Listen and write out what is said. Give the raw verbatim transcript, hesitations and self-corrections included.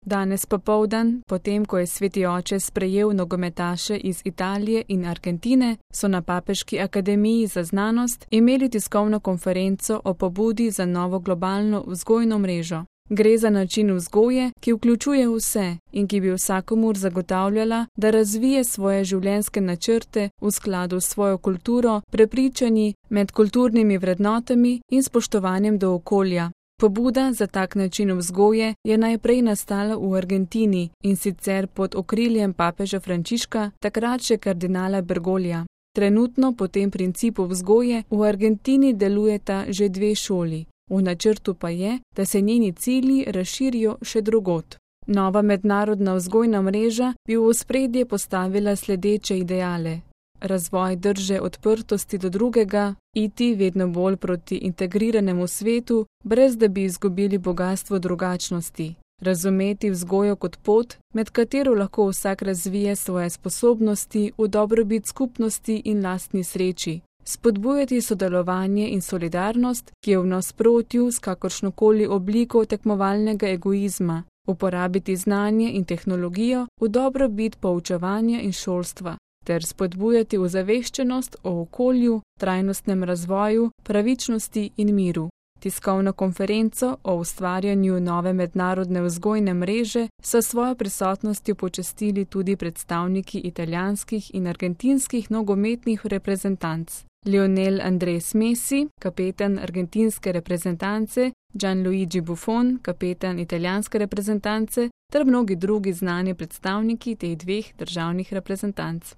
Danes popoldan, potem ko je sveti oče sprejel nogometaše iz Italije in Argentine, so na Papeški akademiji za znanost imeli tiskovno konferenco o pobudi za novo globalno vzgojno mrežo. Gre za način vzgoje, ki vključuje vse in ki bi vsakomur zagotavljala, da razvije svoje življenjske načrte v skladu s svojo kulturo, prepričanji, medkulturnimi vrednotami in spoštovanjem do okolja. Pobuda za tak način vzgoje je najprej nastala v Argentini in sicer pod okriljem papeža Frančiška, takrat še kardinala Bergoglija. Trenutno po tem principu vzgoje v Argentini delujeta že dve šoli. V načrtu pa je, da se njeni cilji razširijo še drugod. Nova mednarodna vzgojna mreža bi v ospredje postavila sledeče ideale: razvoj drže odprtosti do drugega, iti vedno bolj proti integriranemu svetu, brez da bi izgubili bogastvo drugačnosti, razumeti vzgojo kot pot, med katero lahko vsak razvije svoje sposobnosti v dobrobit skupnosti in lastni sreči, spodbujati sodelovanje in solidarnost, ki je v nasprotju s kakršnokoli obliko tekmovalnega egoizma, uporabiti znanje in tehnologijo v dobrobit poučevanja in šolstva, ter spodbujati ozaveščenost o okolju, trajnostnem razvoju, pravičnosti in miru. Tiskovno konferenco o ustvarjanju nove mednarodne vzgojne mreže so svojo prisotnostjo počastili tudi predstavniki italijanskih in argentinskih nogometnih reprezentanc. Lionel Andrés Messi, kapetan argentinske reprezentance, Gianluigi Buffon, kapetan italijanske reprezentance, ter mnogi drugi znani predstavniki teh dveh državnih reprezentanc.